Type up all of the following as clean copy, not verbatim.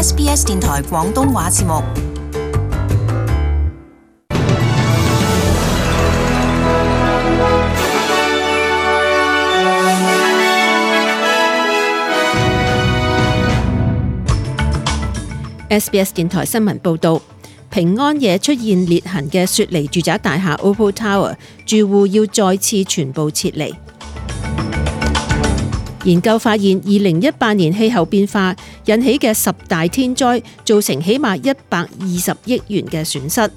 SBS 電台廣東話節目。SBS 電台新聞報導，平安夜出現裂痕嘅雪梨住宅大廈 Opal Tower 住戶要再次全部撤離。研究發現，2018年氣候變化引起嘅10大天災造成起碼120億元嘅損失。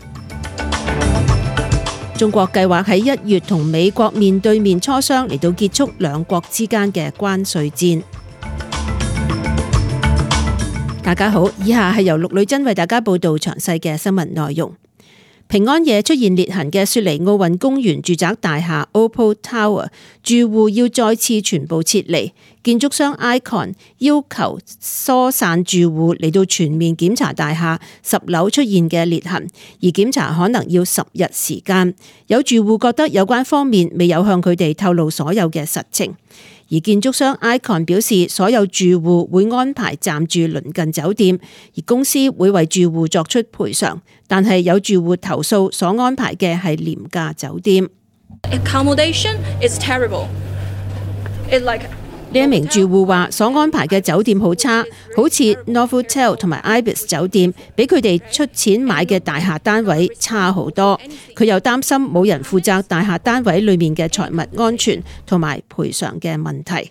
中國計劃喺1月同美國面對面磋商，嚟到結束兩國之間嘅關稅戰。大家好，以下係由陸女珍為大家報道詳細嘅新聞內容。平安夜出現裂痕嘅雪梨奧運公園住宅大廈 Opal Tower 住戶要再次全部撤離，建築商 Icon 要求疏散住戶嚟到全面檢查大廈10樓出現嘅裂痕，而檢查可能要10日時間。有住戶覺得有關方面未有向佢哋透露所有嘅實情。而建築商 Icon 表示，所有住戶會安排暫住鄰近酒店，而公司會為住戶作出賠償。但係有住戶投訴所安排嘅係廉價酒店。Accommodation is terrible.呢一名住戶話，所安排嘅酒店好差，好似 Novotel 同埋 Ibis 酒店，比佢哋出錢買嘅大廈單位差好多。佢又擔心冇人負責大廈單位裏面嘅財物安全同埋賠償嘅問題。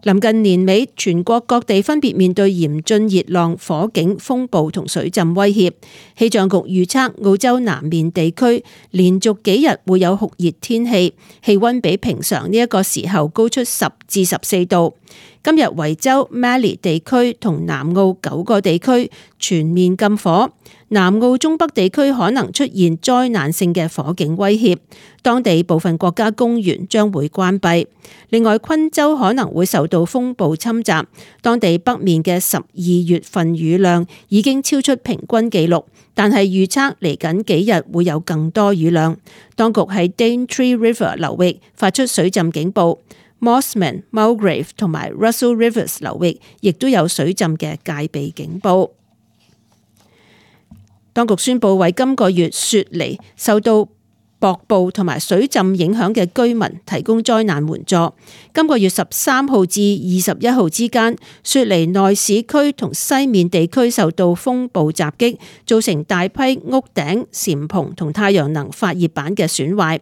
臨近年尾，全國各地分別面對嚴峻熱浪、火警、風暴同水浸威脅。氣象局預測澳洲南面地區連續幾日會有酷熱天氣，氣溫比平常呢一個時候高出10至14度。今日維州、Mallee 地區同南澳9個地區全面禁火，南澳中北地區可能出現災難性嘅火警威脅，當地部分國家公園將會關閉。另外，昆州可能會受到風暴侵襲，當地北面嘅12月份雨量已經超出平均紀錄，但係預測嚟緊幾日會有更多雨量。當局喺 Daintree River 流域發出水浸警報。Mossman、Mulgrave 同埋 Russell Rivers 流域亦都有水浸嘅戒備警報。當局宣布為今個月雪梨受到瀑布同埋水浸影響嘅居民提供災難援助。今個月13號至21號之間，雪梨內市區同西面地區受到風暴襲擊，造成大批屋頂、簷篷同太陽能發熱板嘅損壞。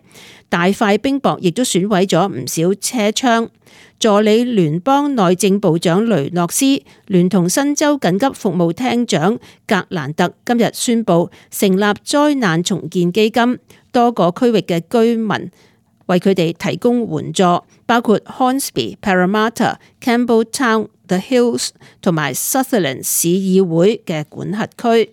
大塊冰雹亦都損毀咗唔少車窗。助理聯邦內政部長雷諾斯聯同新州緊急服務廳長格蘭特今日宣布成立災難重建基金，多個區域嘅居民為佢哋提供援助，包括 Hornsby、Parramatta、Campbelltown、The Hills 同埋 Sutherland 市議會嘅管轄區。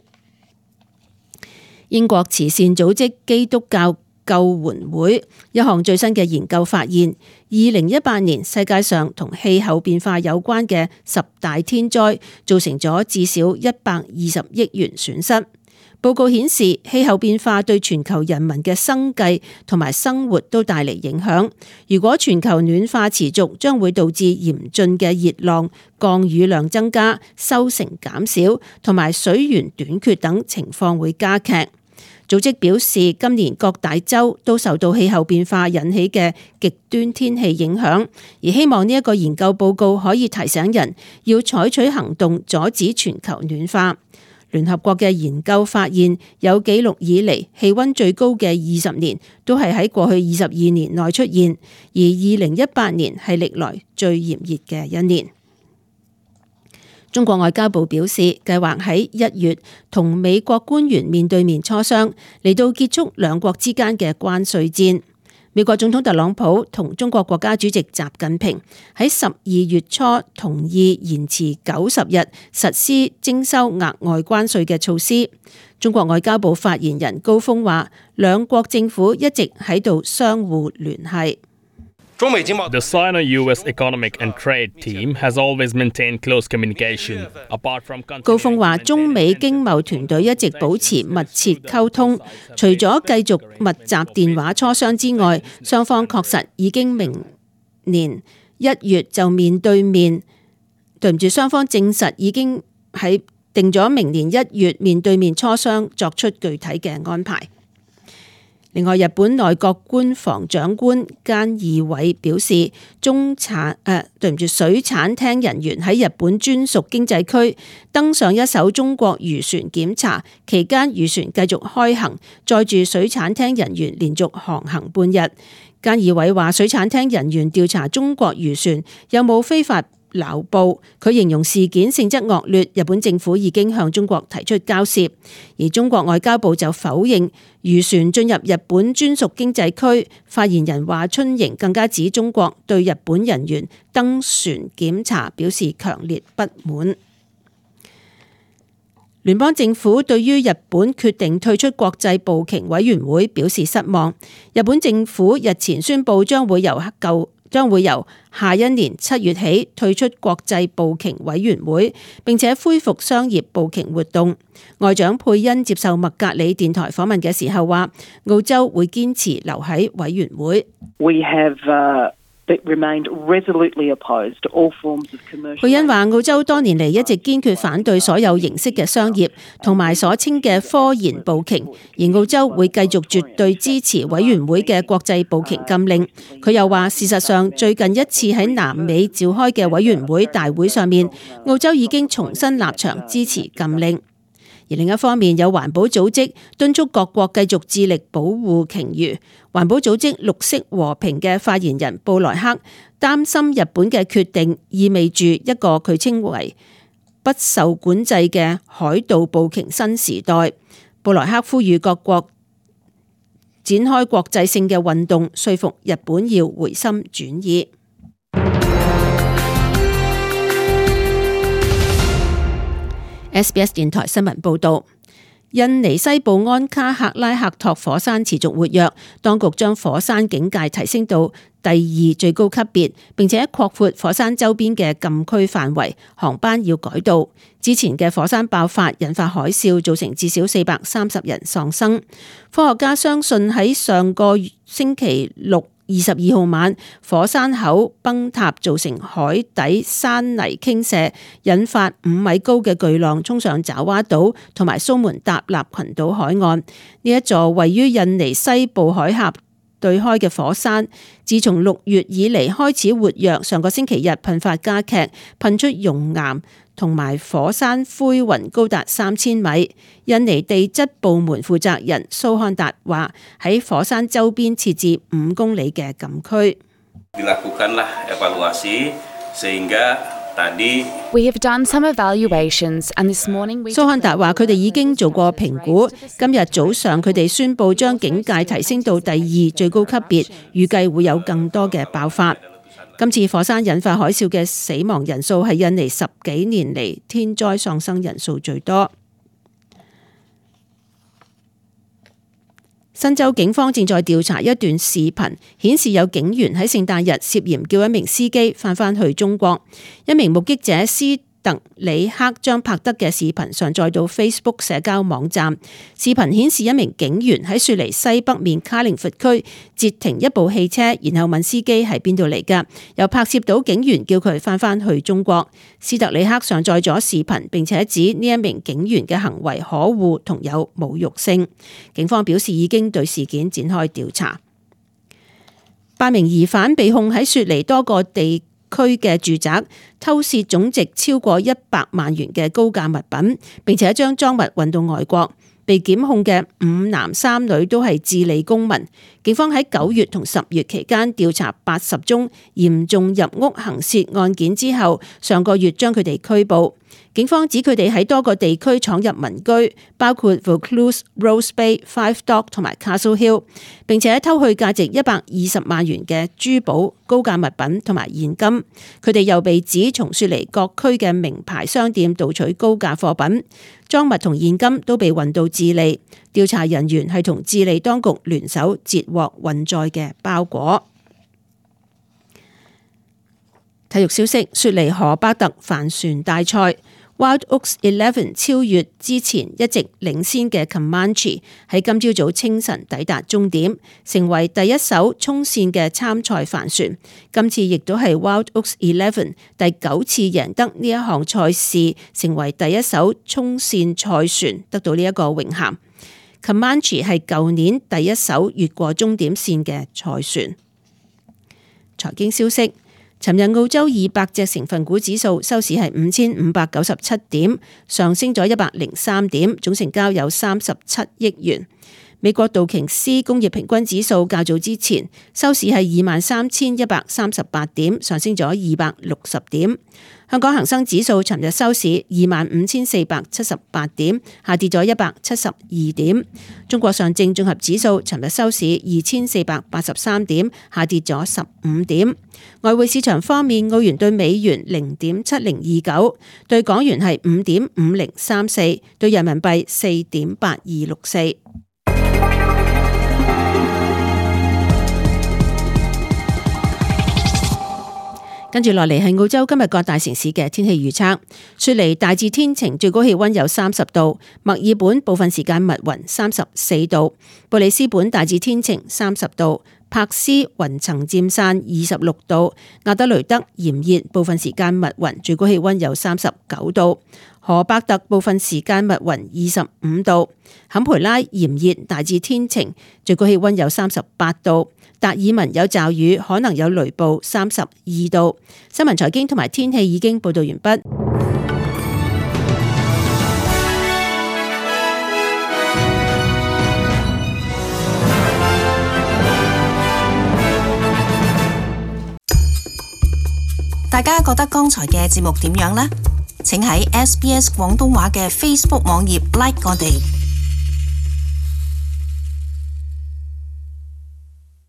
英國慈善組織基督教救援會一項最新嘅研究發現，2018年世界上同氣候變化有關嘅10大天災造成咗至少120億元損失。報告顯示，氣候變化對全球人民嘅生計同埋生活都帶嚟影響。如果全球暖化持續，將會導致嚴峻嘅熱浪、降雨量增加、收成減少同埋水源短缺等情況會加劇。組織表示，今年各大洲都受到氣候變化引起嘅極端天氣影響，而希望呢一個研究報告可以提醒人要採取行動阻止全球暖化。聯合國嘅研究發現，有紀錄以嚟氣溫最高嘅20年都係喺過去22年內出現，而2018年係歷來最炎熱嘅一年。中國外交部表示，計劃喺1月同美國官員面對面磋商，嚟到結束兩國之間嘅關稅戰。美國總統特朗普同中國國家主席習近平喺12月初同意延遲90日實施徵收額外關稅嘅措施。中國外交部發言人高峰話，兩國政府一直喺度相互聯繫。The Sino-US Economic and Trade Team has always maintained close communication. Apart from 高峰話，中美經貿團隊一直保持密切溝通，除咗繼續密集電話磋商之外，雙方確實已經明年1月就面對面。雙方證實已經定咗明年1月面對面磋商，作出具體嘅安排。另外，日本內閣官房長官菅義偉表示，水產廳人員喺日本專屬經濟區登上一艘中國漁船檢查期間，漁船繼續開行，載住水產廳人員連續航行半日。菅義偉話，水產廳人員調查中國漁船有冇非法撈捕，佢形容事件性質惡劣，日本政府已經向中國提出交涉，而中國外交部就否認漁船進入日本專屬經濟區。發言人華春瑩更加指中國對日本人員登船檢查表示強烈不滿。聯邦政府對於日本決定退出國際捕鯨委員會表示失望。日本政府日前宣布將會由下一年7月起退出國際捕鯨委員會，並且恢復商業捕鯨活動。外長佩恩接受麥格里電台訪問嘅時候話，澳洲會堅持留喺委員會。佩恩話，澳洲多年嚟一直堅決反對所有形式嘅商業同埋所稱嘅科研捕鯨，而澳洲會繼續絕對支持委員會嘅國際捕鯨禁令。佢又話，事實上最近一次喺南美召開嘅委員會大會上面，澳洲已經重新立場支持禁令。而另一方面，有環保組織敦促各國繼續致力保護鯨魚。環保組織綠色和平嘅發言人布萊克擔心日本嘅決定意味住一個佢稱為不受管制嘅海盜捕鯨新時代。布萊克呼籲各國展開國際性嘅運動，說服日本要回心轉意。SBS 電台新聞報道，印尼西部安卡克拉克托火山持續活躍，當局將火山警戒提升到第2最高級別，並且擴闊火山周邊嘅禁區範圍，航班要改道。之前嘅火山爆發引發海嘯，造成至少430人喪生。科學家相信喺上個星期六22號晚，火山口崩塌造成海底山泥傾瀉，引發5米高嘅巨浪衝上爪哇島同埋蘇門答臘群島海岸。呢一座位於印尼西部海峽對開嘅火山，自從6月以嚟開始活躍，上個星期日噴發加劇，噴出熔岩同埋火山灰雲高達3000米。印尼地質部門負責人蘇漢達話，喺火山周邊設置5公里嘅禁區。We have done some evaluations, and this morning we... 蘇漢達話，佢哋已經做過評估，今日早上佢哋宣布將警戒提升到第2最高級別，預計會有更多嘅爆發。今次火山引發海嘯嘅死亡人數係印尼10幾年嚟天災喪生人數最多。新州警方正在調查一段視頻，顯示有警員喺聖誕日涉嫌叫一名司機返去中國。一名目擊者斯特里克將拍得嘅視頻上載到 Facebook 社交網站。視頻顯示一名警員喺雪梨西北面卡靈佛區截停一部汽車，然後問司機係邊度嚟㗎，又拍攝到警員叫佢返去中國。斯特里克上載咗視頻，並且指呢一名警員嘅行為可惡同有侮辱性。警方表示已經對事件展開調查。8名疑犯被控喺雪梨多個地區嘅住宅偷竊總值超過100萬元嘅高價物品，並且將贓物運到外國。被檢控嘅5男3女都係智利公民。警方喺9月同10月期間調查80宗嚴重入屋行竊案件之後，上個月將佢哋拘捕。警方指佢哋喺多個地區闖入民居，包括 Vaucluse、Rose Bay、Five Dock 同埋 Castle Hill， 並且偷去價值120萬元嘅珠寶、高價物品同埋現金。佢哋又被指從雪梨各區嘅名牌商店盜取高價貨品，贓物同現金都被運到智利。調查人員係同智利當局聯手截獲運載嘅包裹。體育消息：雪梨荷巴特帆船大賽， Wild Oats 11超越之前一直領先嘅 Comanche， 喺今朝早清晨抵達終點，成為第一艘衝線嘅參賽帆船。今次亦都係 Wild Oats 11第9次贏得呢一項賽事，成為第一艘衝線賽船得到呢一個榮銜。Comanche 係舊年第一艘越過終點線嘅賽船。財經消息，尋日澳洲200隻成分股指數收市係5597點，上升咗103點，總成交有37億元。美國道瓊斯工業平均指數較早之前收市係23,138點，上升咗260點。香港恒生指數尋日收市25,478點，下跌咗172點。中國上證綜合指數尋日收市2,483點，下跌咗15點。外匯市場方面，澳元對美元0.7029，對港元係5.5034，對人民幣4.8264。跟住落嚟係澳洲今日各大城市嘅天氣預測。雪梨大致天晴，最高氣溫有30度；墨爾本部分時間密雲34度；布里斯本大致天晴30度；柏斯雲層漸散26度；亞德雷德炎熱，部分時間密雲，最高氣溫有39度；荷伯特部分時間密雲25度；坎培拉炎熱，大致天晴，最高氣溫有38度；達爾文有驟雨，可能有雷暴32度。新聞財經同埋天氣已經報道完畢。大家覺得剛才嘅節目點樣呢？請喺SBS 廣東話嘅 Facebook 網頁 like 我哋。